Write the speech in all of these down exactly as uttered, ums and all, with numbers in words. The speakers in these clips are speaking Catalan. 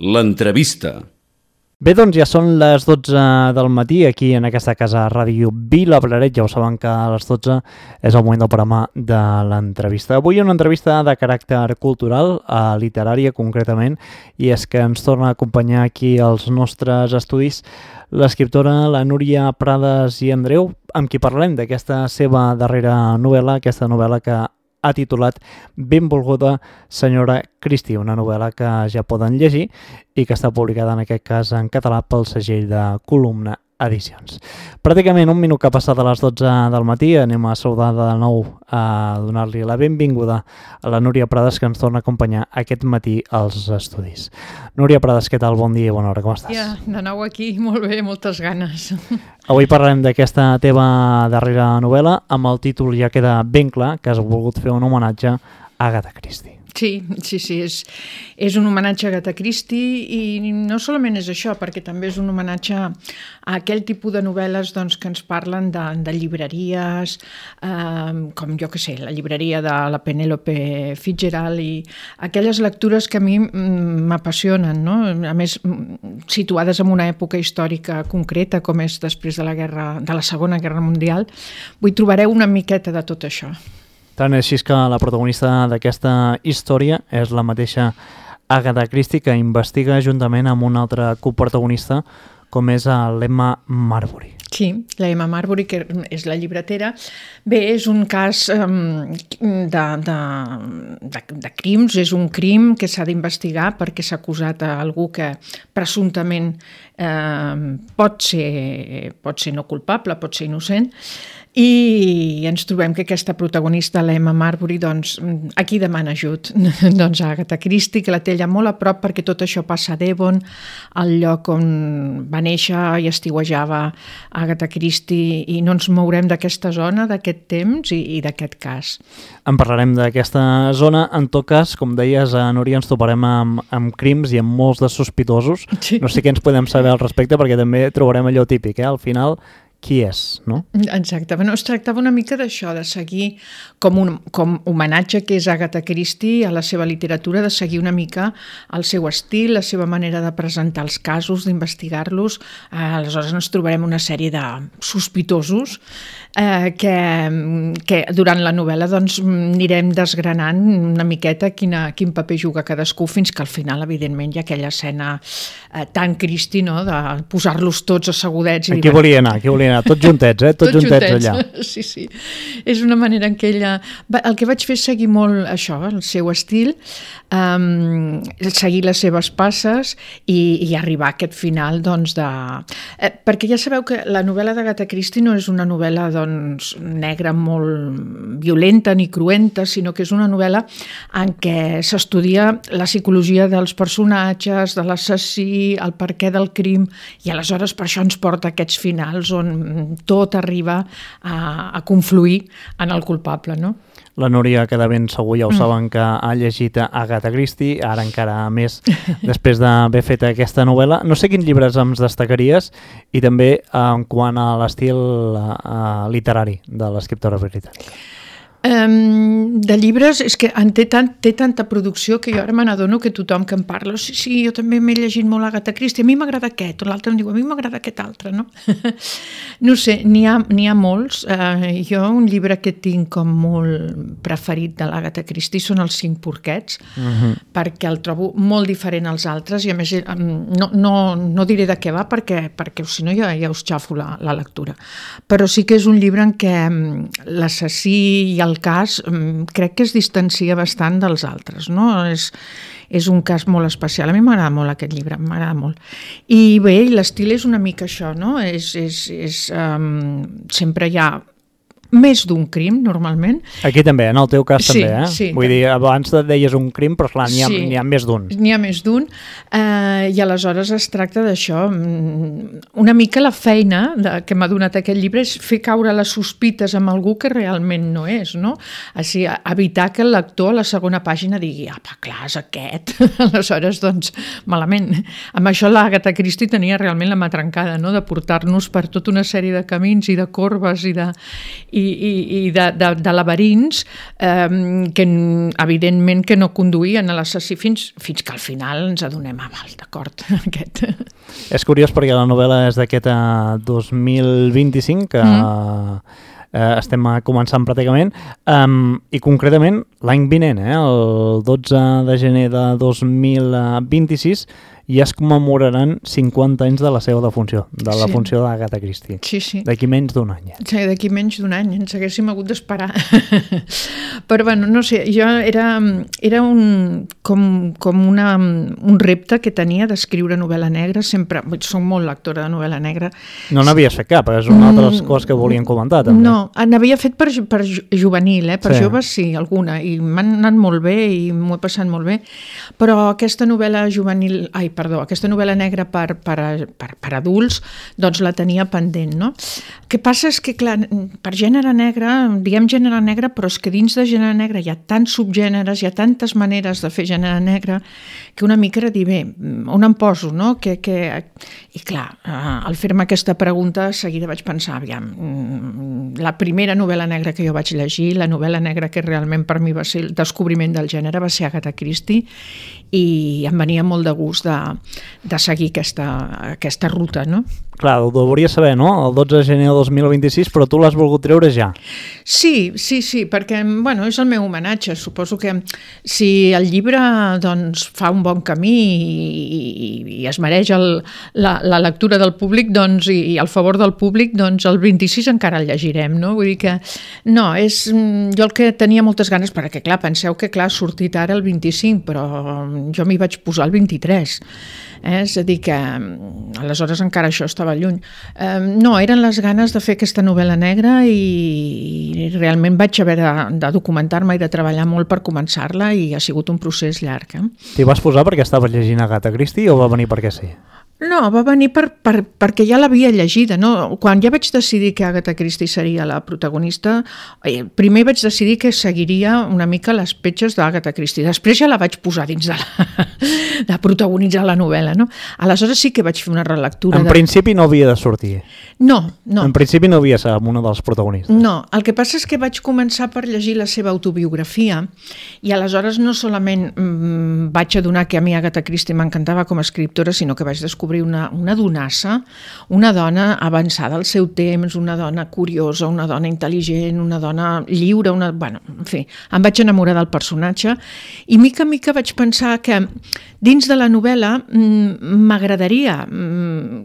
l'entrevista. Bé, doncs ja són les dotze del matí aquí en aquesta casa Ràdio Vilaplaret. Ja ho saben que a les dotze és el moment del programa de l'entrevista. Avui una entrevista de caràcter cultural, eh, literària concretament, i és que ens torna a acompanyar aquí als nostres estudis l'escriptora la Núria Prades i Andreu, amb qui parlarem d'aquesta seva darrera novel·la, aquesta novel·la que ha titulat Benvolguda senyora Christie, una novel·la que ja poden llegir i que està publicada en aquest cas en català pel segell de Columna Edicions. Pràcticament un minut que ha passat a les dotze del matí, anem a saludar de nou a donar-li la benvinguda a la Núria Prades, que ens torna a acompanyar aquest matí als estudis. Núria Prades, què tal? Bon dia i bona hora, com estàs? Ja, de nou aquí, molt bé, moltes ganes. Avui parlarem d'aquesta teva darrera novel·la, amb el títol ja queda ben clar que has volgut fer un homenatge a Agatha Christie. Sí, sí, sí, és, és un homenatge a Agatha Christie i no solament és això, perquè també és un homenatge a aquell tipus de novel·les doncs, que ens parlen de, de llibreries, eh, com jo que sé, la llibreria de la Penélope Fitzgerald i aquelles lectures que a mi m'apassionen, no? A més, situades en una època històrica concreta, com és després de la, guerra, de la Segona Guerra Mundial, vull trobareu una miqueta de tot això. Tant és així que la protagonista d'aquesta història és la mateixa Agatha Christie, que investiga juntament amb un altre coprotagonista com és l'Emma Marbury. Sí, l'Emma Marbury, que és la llibretera. Bé, és un cas um, de, de, de, de crims, és un crim que s'ha d'investigar perquè s'ha acusat a algú que presumptament eh, pot ser, pot ser no culpable, pot ser innocent, i ens trobem que aquesta protagonista, l'Emma Marbury, doncs, aquí demana ajut doncs a Agatha Christie, que la té allà molt a prop perquè tot això passa a Devon, el lloc on va néixer i estiuejava Agatha Christie, i no ens mourem d'aquesta zona, d'aquest temps i, i d'aquest cas. En parlarem d'aquesta zona. En tot cas, com deies, a Núria, ens toparem amb, amb crims i amb molts de sospitosos. Sí. No sé què ens podem saber al respecte, perquè també trobarem allò típic, eh? Al final, qui és, no? Exacte. Bueno, es tractava una mica d'això, de seguir com un com homenatge que és Agatha Christie a la seva literatura, de seguir una mica el seu estil, la seva manera de presentar els casos, d'investigar-los. Eh, aleshores ens trobarem una sèrie de sospitosos eh, que, que durant la novel·la doncs, anirem desgranant una miqueta quina, quin paper juga cadascú, fins que al final, evidentment, hi ha aquella escena eh, tan Christie, no?, de posar-los tots assegudets. Aquí volia anar, aquí volia anar, tots juntets, eh? Tots, tots juntets, juntets allà. Sí, sí. És una manera en què ella... El que vaig fer és seguir molt això, el seu estil, um, seguir les seves passes i, i arribar a aquest final, doncs, de... Eh, perquè ja sabeu que la novel·la d'Agatha Christie no és una novel·la, doncs, negra molt violenta ni cruenta, sinó que és una novel·la en què s'estudia la psicologia dels personatges, de l'assassí, el perquè del crim, i aleshores per això ens porta a aquests finals on tot arriba a, a confluir en el culpable, no? La Núria, que de ben segur ja ho saben, que ha llegit Agatha Christie, ara encara més després d'haver fet aquesta novel·la. No sé quins llibres ens destacaries i també en quant a l'estil uh, literari de l'escriptora britànica. Um, de llibres, és que en té, tant, té tanta producció que jo ara me n'adono que tothom que em parla, sí, sí, jo també m'he llegit molt Agatha Christie, a mi m'agrada aquest, o l'altre em diu, a mi m'agrada aquest altre, no? No sé, n'hi ha, n'hi ha molts. Uh, jo un llibre que tinc com molt preferit de l'Agatha Christie són els Cinc porquets, uh-huh. perquè el trobo molt diferent als altres i a més no, no, no diré de què va perquè, perquè si no ja, ja us xafo la, la lectura. Però sí que és un llibre en què l'assassí i el el cas crec que es distancia bastant dels altres, no? És, és un cas molt especial. A mi m'agrada molt aquest llibre, m'agrada molt. I bé, l'estil és una mica això, no? És, és, és, um, sempre hi ha més d'un crim, normalment. Aquí també, en el teu cas sí, també, eh? Sí, Vull dir, abans et deies un crim, però clar, n'hi ha, sí, n'hi ha més d'un. N'hi ha més d'un, eh, i aleshores es tracta d'això. Una mica la feina de, que m'ha donat aquest llibre és fer caure les sospites amb algú que realment no és, no? Així, evitar que el lector a la segona pàgina digui, apa, clar, és aquest. Aleshores, doncs, malament. Amb això l'Agatha Christie tenia realment la mà trencada, no?, de portar-nos per tota una sèrie de camins i de corbes i de... i, i de, de, de laberints eh, que evidentment que no conduïen a l'assassí fins, fins que al final ens adonem, ah, val, d'acord, aquest. És curiós perquè la novel·la és d'aquest dos mil vint-i-cinc, que mm. eh, estem començant pràcticament, um, i concretament l'any vinent, eh, el dotze de gener de dos mil vint-i-sis, ja es commemoraran cinquanta anys de la seva defunció, de la Sí. funció d'Agatha Christie. Sí, sí. D'aquí menys d'un any. Sí, d'aquí menys d'un any, ens haguéssim hagut d'esperar. Però, bueno, no sé, jo era, era un, com, com una, un repte que tenia d'escriure novel·la negra, sempre, soc molt lectora de novel·la negra. No n'havies fet cap, és una altra de les coses que volien comentar, també. No, n'havia fet per, per ju- juvenil, eh? per Sí. sí. joves sí, alguna, i m'han anat molt bé i m'ho he passat molt bé, però aquesta novel·la juvenil, ai, perdó, aquesta novel·la negra per, per, per, per adults, doncs la tenia pendent, no? El que passa és que, clar, per gènere negre, diem gènere negre, però és que dins de gènere negre hi ha tants subgèneres, hi ha tantes maneres de fer gènere negre, que una mica era dir, bé, on em poso, no? Que, que... I clar, al fer-me aquesta pregunta, seguida vaig pensar, aviam, la primera novel·la negra que jo vaig llegir, la novel·la negra que realment per mi va ser el descobriment del gènere, va ser Agatha Christie, i em venia molt de gust de, de seguir aquesta, aquesta ruta, no? Clar, ho hauries saber, no? El dotze de gener de dos mil vint-i-sis, però tu l'has volgut treure ja. Sí, sí, sí, perquè bueno, és el meu homenatge. Suposo que si el llibre doncs, fa un bon camí i, i, i es mereix el, la, la lectura del públic doncs, i, i el favor del públic, doncs el vint-i-sis encara el llegirem, no? Vull dir que no, és jo el que tenia moltes ganes, perquè clar, penseu que clar, ha sortit ara el vint-i-cinc, però jo m'hi vaig posar el vint-i-tres. Eh? És a dir que aleshores encara això estava lluny. Eh, no, eren les ganes de fer aquesta novel·la negra i, i realment vaig haver de, de documentar-me i de treballar molt per començar-la i ha sigut un procés llarg. Eh? T'hi vas posar perquè estaves llegint Agatha Christie o va venir perquè sí? No, va venir per, per, perquè ja l'havia llegida. No? Quan ja vaig decidir que Agatha Christie seria la protagonista, eh, primer vaig decidir que seguiria una mica les petges d'Agatha Christie. Després ja la vaig posar dins de, la, de protagonitzar la novel·la. No? Aleshores sí que vaig fer una relectura. En de... principi no havia de sortir. No, no. En principi no havia de ser una dels protagonistes. No, el que passa és que vaig començar per llegir la seva autobiografia i aleshores no solament mmm, vaig adonar que a mi Agatha Christie m'encantava com a escriptora, sinó que vaig descobrir Una, una donassa, una dona avançada al seu temps, una dona curiosa, una dona intel·ligent, una dona lliure, una... bueno, en fi, em vaig enamorar del personatge i mica en mica vaig pensar que dins de la novel·la m'agradaria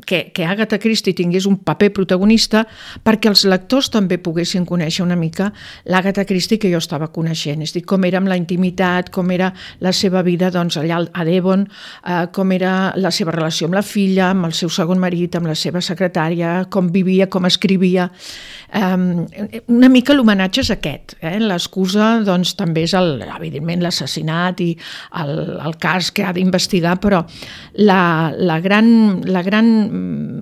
que, que Agatha Christie tingués un paper protagonista perquè els lectors també poguessin conèixer una mica l'Agatha Christie que jo estava coneixent, és a dir, com era amb la intimitat, com era la seva vida doncs, allà a Devon, eh, com era la seva relació amb la filla, amb el seu segon marit, amb la seva secretària, com vivia, com escrivia. Um, una mica l'homenatge és aquest. Eh? L'excusa doncs, també és, el, evidentment, l'assassinat i el, el cas que ha d'investigar, però la, la gran, la gran,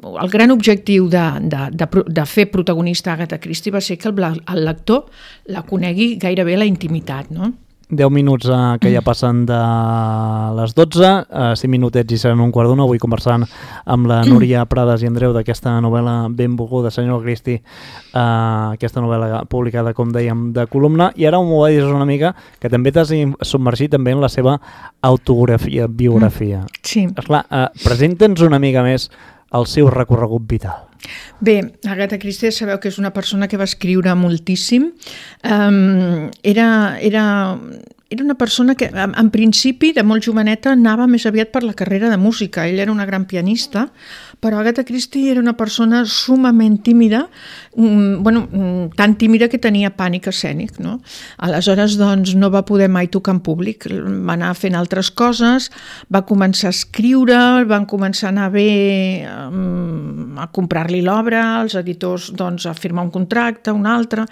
el gran objectiu de, de, de, de fer protagonista Agatha Christie va ser que el, el lector la conegui gairebé a la intimitat, no? deu minuts eh, que ja passen de les dotze, eh, cinc minutets i seran un quart d'una. Avui conversant amb la Núria Prades i Andreu d'aquesta novel·la benvolguda, Senyor Christie, eh, aquesta novel·la publicada, com dèiem, de columna. I ara m'ho va dir una mica que també t'has submergit també en la seva autografia, biografia. Sí. Esclar, eh, presenta'ns una mica més el seu recorregut vital. Bé, Agatha Christie sabeu que és una persona que va escriure moltíssim. Um, era, era, era una persona que, en, en principi, de molt joveneta, anava més aviat per la carrera de música. Ell era una gran pianista, però Agatha Christie era una persona sumament tímida, um, bueno, um, tan tímida que tenia pànic escènic, no? Aleshores, doncs, no va poder mai tocar en públic. Va anar fent altres coses, va començar a escriure, van començar a anar bé um, a comprar-li l'obra, els editors doncs, a firmar un contracte, un altre,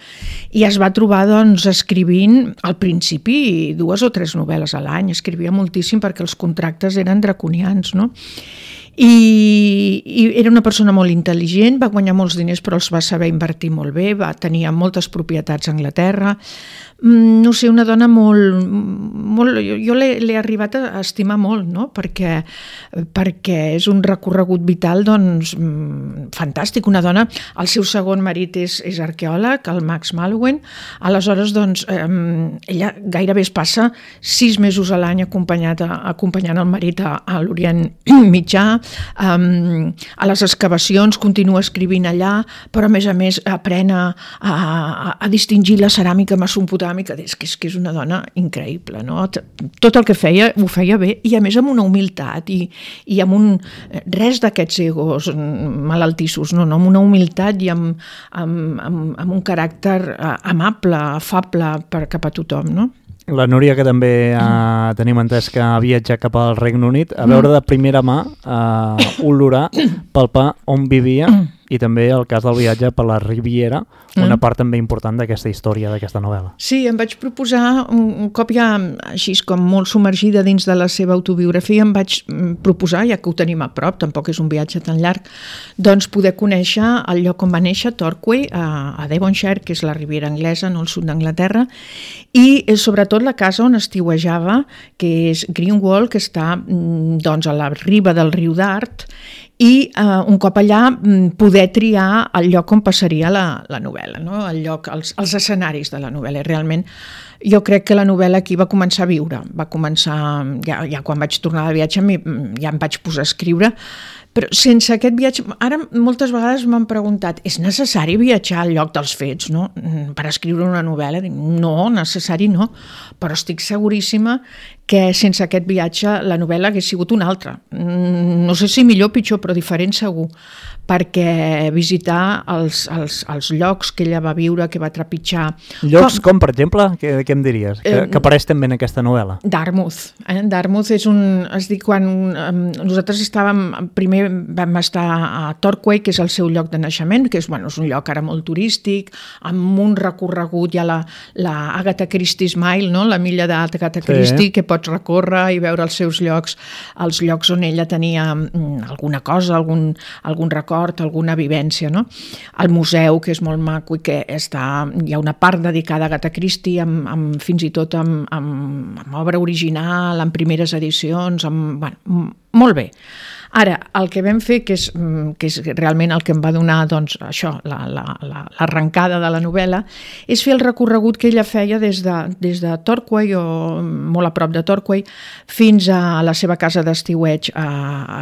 i es va trobar doncs, escrivint al principi dues o tres novel·les a l'any, escrivia moltíssim perquè els contractes eren draconians, no? I, i era una persona molt intel·ligent, va guanyar molts diners però els va saber invertir molt bé, va tenir moltes propietats a Anglaterra, no sé, una dona molt... molt jo jo l'he arribat a estimar molt, no? perquè, perquè és un recorregut vital doncs, fantàstic. Una dona, el seu segon marit és, és arqueòleg, el Max Mallowan, aleshores doncs, eh, ella gairebé es passa sis mesos a l'any acompanyat a, acompanyant el marit a, a l'Orient Mitjà, um, a les excavacions, continua escrivint allà, però a més a més aprèn a, a, a distingir la ceràmica mesopotàmica. És que, és que és una dona increïble, no? Tot el que feia ho feia bé i a més amb una humilitat i, i amb un, res d'aquests egos malaltissos, no, no, amb una humilitat i amb, amb, amb, amb un caràcter amable, afable per cap a tothom, no? La Núria, que també eh, tenim entès que ha viatjat cap al Regne Unit, a veure de primera mà, eh, olorar, palpar on vivia i també el cas del viatge per la Riviera, una part també important d'aquesta història, d'aquesta novel·la. Sí, em vaig proposar, un cop ja així com molt submergida dins de la seva autobiografia, em vaig proposar, ja que ho tenim a prop, tampoc és un viatge tan llarg, doncs poder conèixer el lloc on va néixer, Torquay, a Devonshire, que és la Riviera anglesa, no el sud d'Anglaterra, i sobretot la casa on estiuejava, que és Greenwall, que està doncs, a la riba del riu Dart, i eh, un cop allà poder triar el lloc on passaria la, la novel·la, no? El lloc, els, els escenaris de la novel·la. Realment jo crec que la novel·la aquí va començar a viure, va començar, ja, ja quan vaig tornar de viatge ja em vaig posar a escriure, però sense aquest viatge, ara moltes vegades m'han preguntat, és necessari viatjar al lloc dels fets, no? Per escriure una novel·la? No, necessari no, però estic seguríssima que sense aquest viatge la novel·la hagués sigut una altra. No sé si millor o pitjor, però diferent segur, perquè visitar els, els, els llocs que ella va viure, que va trepitjar... Llocs com, com per exemple? Què, què em diries? Que, eh, que apareix també en aquesta novel·la. Dartmouth. Eh? Dartmouth és un... Es diu quan eh, nosaltres estàvem... Primer vam estar a Torquay, que és el seu lloc de naixement, que és, bueno, és un lloc ara molt turístic, amb un recorregut, hi ha la, la Agatha Christie's Mile, no? La milla d'Agatha Christie, sí, que pots recórrer i veure els seus llocs, els llocs on ella tenia alguna cosa, algun, algun record, alguna vivència, no? El museu, que és molt maco i que està, hi ha una part dedicada a Agatha Christie, amb, amb, fins i tot amb, amb, amb obra original, amb primeres edicions, amb, bueno, molt bé. Ara, el que vam fer, que és, que és realment el que em va donar doncs, això, la, la, la, l'arrencada de la novel·la, és fer el recorregut que ella feia des de, des de Torquay, o molt a prop de Torquay, fins a la seva casa d'estiueig a,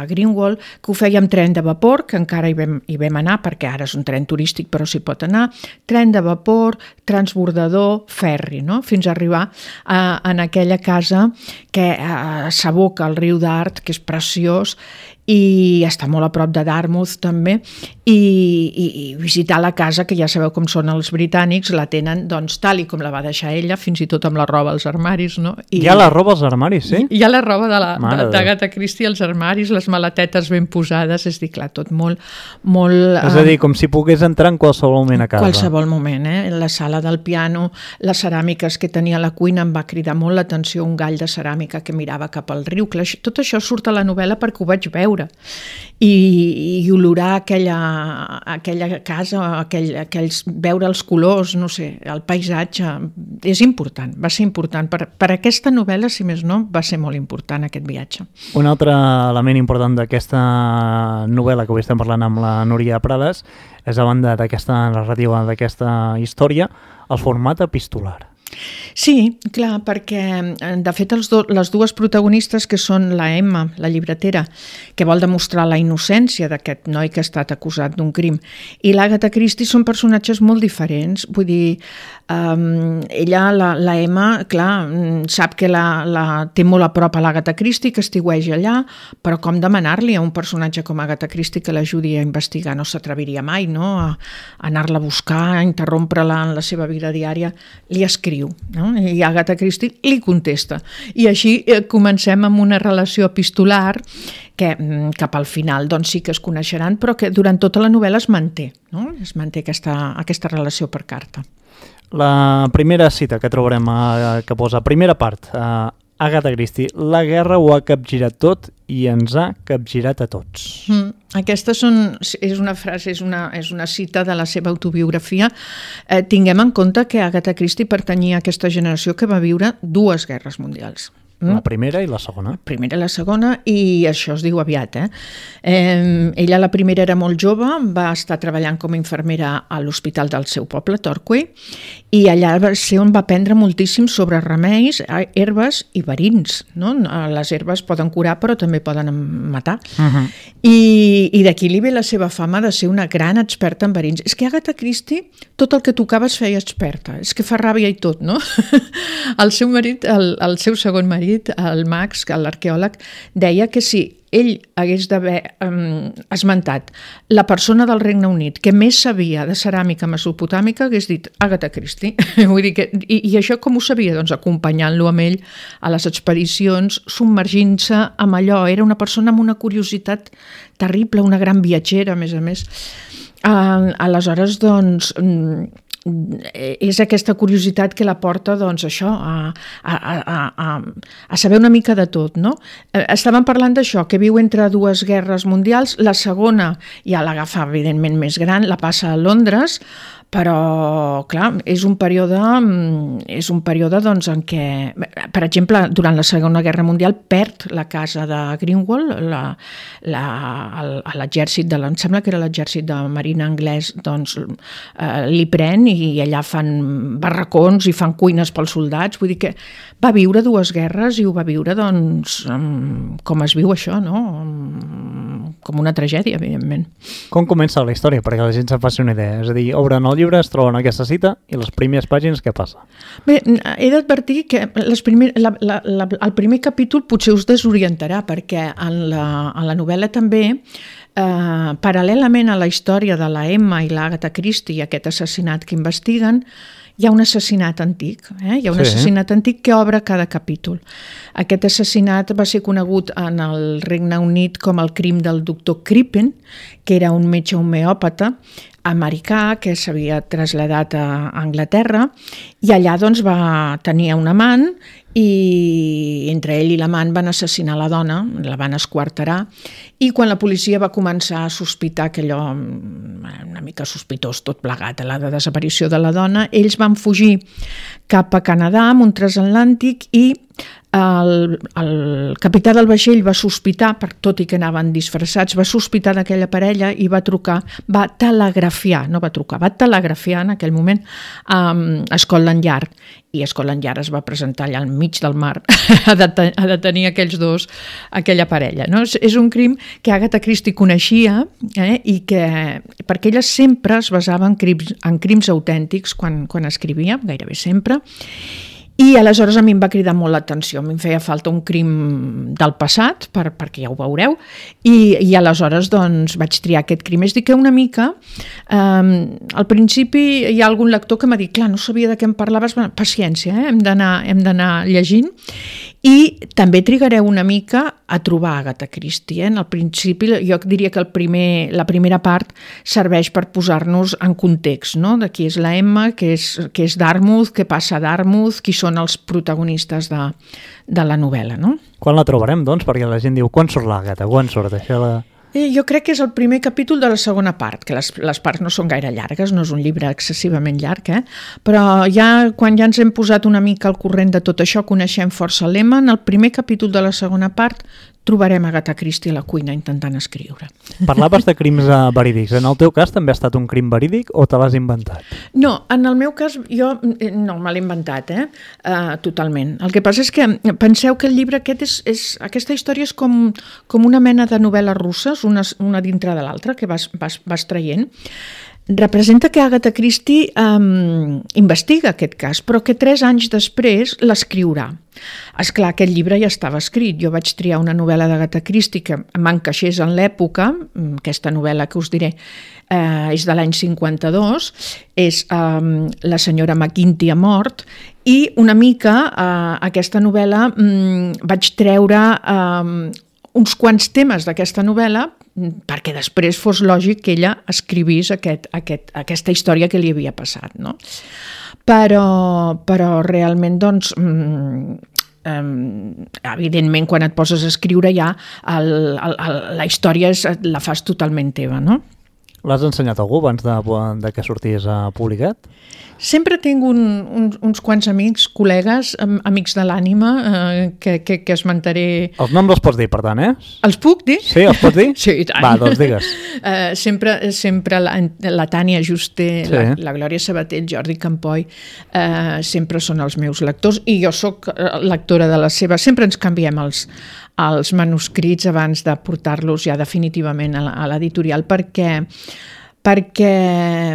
a Greenwall, que ho feia amb tren de vapor, que encara hi vam, hi vam anar, perquè ara és un tren turístic, però s'hi pot anar, tren de vapor, transbordador, ferri, no? Fins a arribar a, en aquella casa que a, s'aboca al riu Dart, que és preciós, i està molt a prop de Dartmouth també, i, i, i visitar la casa, que ja sabeu com són els britànics, la tenen doncs tal i com la va deixar ella, fins i tot amb la roba als armaris, no? I, hi ha la roba als armaris, sí? Hi ha la roba de la, d'Agatha Christie als armaris, les maletetes ben posades, és dir, clar, tot molt... molt és a dir, com si pogués entrar en qualsevol moment a casa. Qualsevol moment, eh? La sala del piano, les ceràmiques que tenia a la cuina, em va cridar molt l'atenció un gall de ceràmica que mirava cap al riu. Tot això surt a la novel·la perquè ho vaig veure. I, i olorar aquella, aquella casa, aquell, aquells, veure els colors, no sé, el paisatge, és important, va ser important. Per, per aquesta novel·la, si més no, va ser molt important aquest viatge. Un altre element important d'aquesta novel·la que avui estem parlant amb la Núria Prades és, a banda d'aquesta narrativa, d'aquesta història, el format epistolar. Sí, clar, perquè de fet els do, les dues protagonistes, que són la Emma, la llibretera, que vol demostrar la innocència d'aquest noi que ha estat acusat d'un crim, i l'Agatha Christie, són personatges molt diferents. Vull dir, um, ella, la, la Emma, clar, sap que la, la té molt a prop a l'Agatha Christie, que estiueja allà, però com demanar-li a un personatge com Agatha Christie que l'ajudi a investigar? No s'atreviria mai, no?, a, a anar-la a buscar, a interrompre-la en la seva vida diària. Li escriu, no? I Agatha Christie li contesta, i així eh, comencem amb una relació epistolar que cap al final doncs sí que es coneixeran, però que durant tota la novel·la es manté, no? Es manté aquesta, aquesta relació per carta. La primera cita que trobarem, eh, que posa primera part, eh, Agatha Christie: la guerra ho ha capgirat tot i ens ha capgirat a tots. Mm. Aquesta són, és una frase, és una, és una cita de la seva autobiografia. Eh, tinguem en compte que Agatha Christie pertanyia a aquesta generació que va viure dues guerres mundials. Mm? La primera i la segona. La primera i la segona, i això es diu aviat. Eh? Eh, ella la primera era molt jove, va estar treballant com a infermera a l'hospital del seu poble, Torquay, i allà va ser on va aprendre moltíssim sobre remeis, herbes i verins. No? Les herbes poden curar però també poden matar. Uh-huh. I, i d'aquí li ve la seva fama de ser una gran experta en verins. És que Agatha Christie tot el que tocava es feia experta, és que fa ràbia i tot, no? El seu marit, el, el seu segon marit, el Max, l'arqueòleg, deia que si ell hagués d'haver um, esmentat la persona del Regne Unit que més sabia de ceràmica mesopotàmica, hagués dit Agatha Christie. Vull dir que, i, I això com ho sabia? Doncs acompanyant-lo amb ell a les expedicions, submergint-se amb allò. Era una persona amb una curiositat terrible, una gran viatgera, a més a més. Uh, aleshores, doncs, és aquesta curiositat que la porta, doncs, això, a, a, a, a, a saber una mica de tot, no? Estàvem parlant d'això, que viu entre dues guerres mundials, la segona ja l'agafa, evidentment, més gran, la passa a Londres, però, clar, és un període, és un període doncs, en què, per exemple, durant la Segona Guerra Mundial perd la casa de Greenwald, la, la, l'exèrcit de, em sembla que era l'exèrcit de marina anglès, doncs eh, li pren i allà fan barracons i fan cuines pels soldats, vull dir que va viure dues guerres i ho va viure, doncs, com es viu això, no? Com una tragèdia, evidentment. Com comença la història? Perquè la gent se'n faci una idea. És a dir, obren el llibre, es troben aquesta cita i les primeres pàgines què passa? Bé, he d'advertir que les primer, la, la, la, el primer capítol potser us desorientarà perquè en la, en la novel·la també, eh, paral·lelament a la història de la Emma i l'Agatha Christie i aquest assassinat que investiguen, hi ha un assassinat antic, eh? Hi ha un sí. assassinat antic que obre cada capítol. Aquest assassinat va ser conegut en el Regne Unit com el crim del doctor Crippen, que era un metge homeòpata americà que s'havia traslladat a Anglaterra i allà doncs va tenir un amant i entre ell i l'amant van assassinar la dona, la van esquarterar i quan la policia va començar a sospitar que allò una mica sospitós tot plegat, la desaparició de la dona, ells van fugir cap a Canadà amb un transatlàntic i el, el capità del vaixell va sospitar, per tot i que anaven disfressats, va sospitar d'aquella parella i va trucar, va telegrafiar, no va trucar, va telegrafiar en aquell moment a Scotland Yard i Scotland Yard es va presentar allà al mig del mar a detenir, a detenir aquells dos, aquella parella. No? És, és un crim que Agatha Christie coneixia eh, i que, perquè ella sempre es basava en crims, en crims autèntics quan, quan escrivia, gairebé sempre, i aleshores a mi em va cridar molt l'atenció, a mi em feia falta un crim del passat, per, perquè ja ho veureu, i, i aleshores doncs, vaig triar aquest crim. És dir que una mica, eh, al principi hi ha algun lector que m'ha dit, clar, no sabia de què em parlaves, paciència, eh? hem d'anar hem d'anar llegint, i també trigareu una mica a trobar Agatha Christie. Eh? En el principi jo diria que el primer, la primera part serveix per posar-nos en context, no? De qui és la Emma, què és, què és Dartmouth, què passa a Dartmouth, qui són els protagonistes de, de la novel·la. No? Quan la trobarem, doncs? Perquè la gent diu, quan surt l'Agatha? Quan surt? Això la... Jo crec que és el primer capítol de la segona part, que les, les parts no són gaire llargues, no és un llibre excessivament llarg, eh? Però ja quan ja ens hem posat una mica al corrent de tot això, coneixem força l'Emma, en el primer capítol de la segona part trobarem Agatha Christie a la cuina intentant escriure. Parlaves de crims verídics. En el teu cas també ha estat un crim verídic o te l'has inventat? No, en el meu cas jo no me l'he inventat, eh? Uh, totalment. El que passa és que penseu que el llibre aquest és, és aquesta història és com, com una mena de novel·les russes, una, una dintre de l'altra, que vas, vas, vas traient. Representa que Agatha Christie um, investiga aquest cas, però que tres anys després l'escriurà. Esclar, aquest llibre ja estava escrit. Jo vaig triar una novel·la d'Agatha Christie que m'encaixés en l'època. Aquesta novel·la que us diré eh, és de l'any cinquanta-dos, és um, La senyora McGinty ha mort, i una mica eh, aquesta novel·la um, vaig treure um, uns quants temes d'aquesta novel·la perquè després fos lògic que ella escrivís aquest, aquest, aquesta història que li havia passat, no? Però, però realment doncs, eh, evidentment, quan et poses a escriure ja el, el, el, la història és, la fas totalment teva, no? L'has ensenyat a algú abans de, de que sortís a publicat? Sempre tinc un, un, uns quants amics, col·legues, amics de l'ànima, eh, que, que, que esmentaré... Els noms els pots dir, per tant, eh? Els puc dir? Sí, els pots dir? Sí, i tant. Va, doncs digues. Uh, sempre sempre la, la Tània Juste, Sí. la, la Glòria Sabater, el Jordi Campoy, uh, sempre són els meus lectors, i jo sóc lectora de les seves. Sempre ens canviem els, els manuscrits abans de portar-los ja definitivament a l'editorial, perquè perquè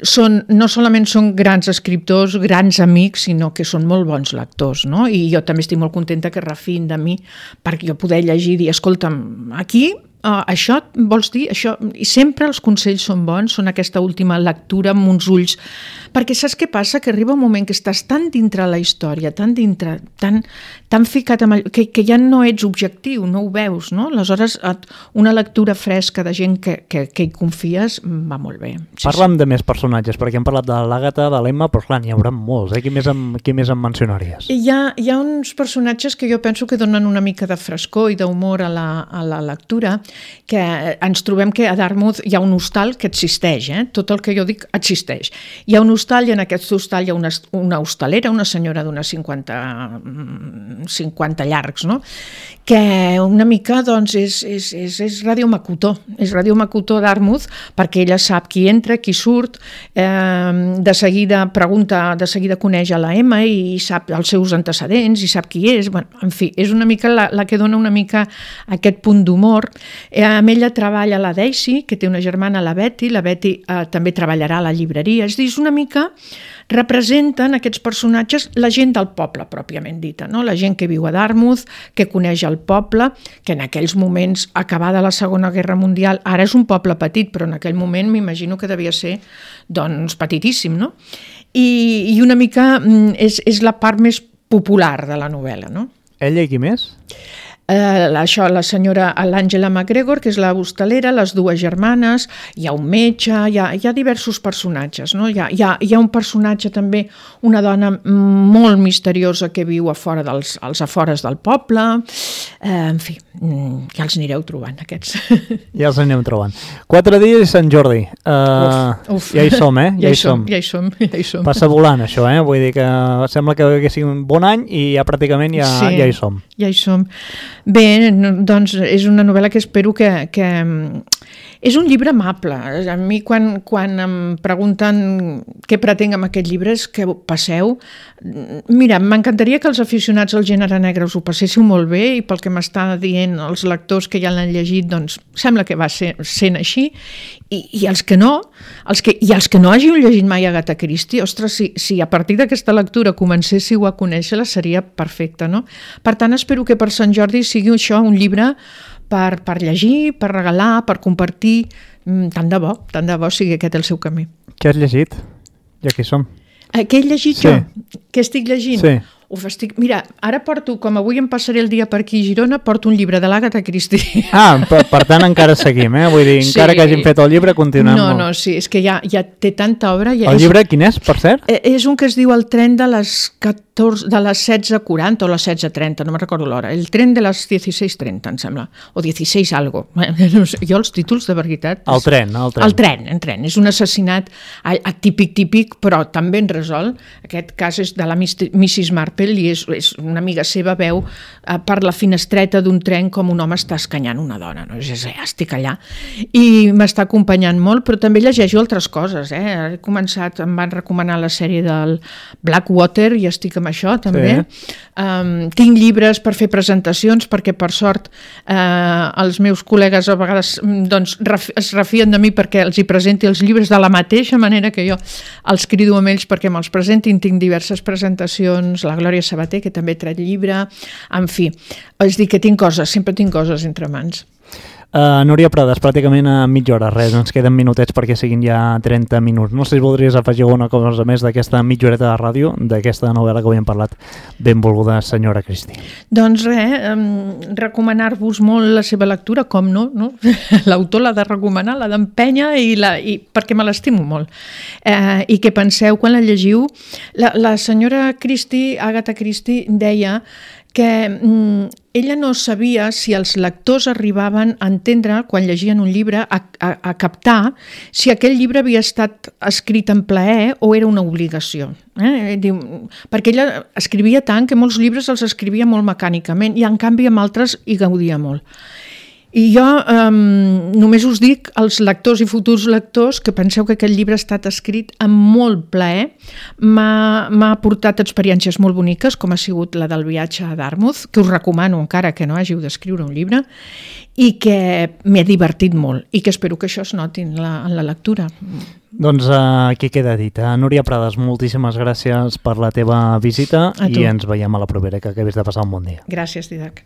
són, no solament són grans escriptors, grans amics, sinó que són molt bons lectors, no? I jo també estic molt contenta que refiïn de mi perquè jo poder llegir i dir, escolta'm, aquí uh, això vols dir? Això... I sempre els consells són bons, són aquesta última lectura amb uns ulls, perquè saps què passa? Que arriba un moment que estàs tan dintre la història, tan dintre, tan, tan ficat amb allò, que, que ja no ets objectiu, no ho veus, no? Aleshores, una lectura fresca de gent que, que, que hi confies va molt bé. Sí, Parla'm sí. de més personatges, perquè hem parlat de l'Àgata, de l'Emma, però clar, n'hi haurà molts, eh? Qui més em, qui més em mencionaries? Hi ha, hi ha uns personatges que jo penso que donen una mica de frescor i d'humor a, la, a la lectura, que ens trobem que a Dartmouth hi ha un hostal que existeix, eh? Tot el que jo dic existeix. Hi ha un hostal i en aquest hostal hi ha una, una hostalera, una senyora d'unes cinquanta, cinquanta llargs, no? Que una mica doncs, és, és, és, és Ràdio Macutó, és Ràdio Macutó Dartmouth, perquè ella sap qui entra, qui surt, eh, de seguida pregunta, de seguida coneix a la Emma i sap els seus antecedents i sap qui és. Bueno, en fi, és una mica la, la que dona una mica aquest punt d'humor. Eh, amb ella treballa la Daisy, que té una germana, la Betty, la Betty eh, també treballarà a la llibreria. És dir, és una mica representen aquests personatges la gent del poble, pròpiament dita, no? La gent que viu a Dartmouth, que coneix el poble, que en aquells moments, acabada la Segona Guerra Mundial, ara és un poble petit, però en aquell moment m'imagino que devia ser doncs, petitíssim, no? I, i una mica és, és la part més popular de la novel·la, no? Ella i qui més? Eh, això, la senyora l'Àngela McGregor, que és la hostalera, les dues germanes, hi ha un metge, hi ha, hi ha diversos personatges, no? Hi ha, hi ha, hi ha un personatge també, una dona molt misteriosa que viu a fora dels, als afores del poble, eh, en fi, ja els anireu trobant aquests. Ja els anem trobant. Quatre dies i Sant Jordi. Uh, uf, uf. Ja hi som, eh? Ja, ja hi som, ja hi som, ja hi som. Passa volant, això, eh? Vull dir que sembla que haguéssim un bon any i ja pràcticament ja, sí, ja hi som. Ja hi som. Bé, doncs és una novel·la que espero que... que... És un llibre amable. A mi quan, quan em pregunten què pretenc amb aquest llibre és que passeu... Mira, m'encantaria que els aficionats al gènere negre us ho passéssiu molt bé i pel que m'està dient els lectors que ja l'han llegit, doncs sembla que va ser, sent així. I, i els que no, els que, i els que no hàgiu llegit mai Agatha Christie, ostres, si, si a partir d'aquesta lectura comencéssiu a conèixer-la seria perfecte, no? Per tant, espero que per Sant Jordi sigui això un llibre per, per llegir, per regalar, per compartir. Tant de bo, tant de bo sigui aquest el seu camí. Què has llegit? Ja que hi som. Eh, què he llegit sí. jo? Què estic llegint? Sí. Uf, estic... Mira, ara porto, com avui em passaré el dia per aquí a Girona, porto un llibre de l'Agatha Christie. Ah, per, per tant encara seguim, eh? Vull dir, sí. Encara que hàgim fet el llibre, continuem. No, no, sí, és que ja, ja té tanta obra. Ja el és... llibre quin és, per cert? És un que es diu El tren de les catorze, de les setze quaranta o les setze trenta, no me'n recordo l'hora. El tren de les dieciséis trenta, em sembla. O dieciséis algo. No sé, jo els títols, de veritat... El tren, el tren. El tren, el tren. És un assassinat típic, típic, però també ben resolt. Aquest cas és de la missus Marple i és, és una amiga seva veu eh, per la finestreta d'un tren com un home està escanyant una dona, no? És, ja estic allà i m'està acompanyant molt, però també llegeixo altres coses, eh? He començat, em van recomanar la sèrie del Blackwater i estic amb això també. Sí. Um, tinc llibres per fer presentacions perquè per sort eh, els meus col·legues a vegades doncs, ref, es refien de mi perquè els hi presenti els llibres de la mateixa manera que jo els crido amb ells perquè me'ls presentin. Tinc diverses presentacions, la Glòria Sabater, que també he tret llibre, en fi, és dir que tinc coses, sempre tinc coses entre mans. Uh, Núria Prades, pràcticament a mitja hora, res, ens queden minutets perquè siguin ja trenta minuts. No sé si voldries afegir alguna cosa més d'aquesta mitja horeta de ràdio, d'aquesta novel·la que avui hem parlat, benvolguda senyora Cristi. Doncs res, eh, recomanar-vos molt la seva lectura, com no, no? L'autor l'ha de recomanar, l'ha d'empènyer, i la, i, perquè me l'estimo molt. Eh, I que penseu, quan la llegiu, la, la senyora Christie, Agatha Christie, deia que mm, ella no sabia si els lectors arribaven a entendre, quan llegien un llibre, a, a, a captar si aquell llibre havia estat escrit en plaer o era una obligació. Eh? Diu, perquè ella escrivia tant que molts llibres els escrivia molt mecànicament i en canvi amb altres hi gaudia molt. I jo eh, només us dic als lectors i futurs lectors que penseu que aquest llibre ha estat escrit amb molt plaer, m'ha aportat experiències molt boniques, com ha sigut la del viatge a Dartmouth, que us recomano encara que no hàgiu d'escriure un llibre, i que m'he divertit molt i que espero que això es noti en la, en la lectura. Doncs uh, aquí queda dit. Uh, Núria Prades, moltíssimes gràcies per la teva visita i ens veiem a la propera, que acabis de passar un bon dia. Gràcies, Didac.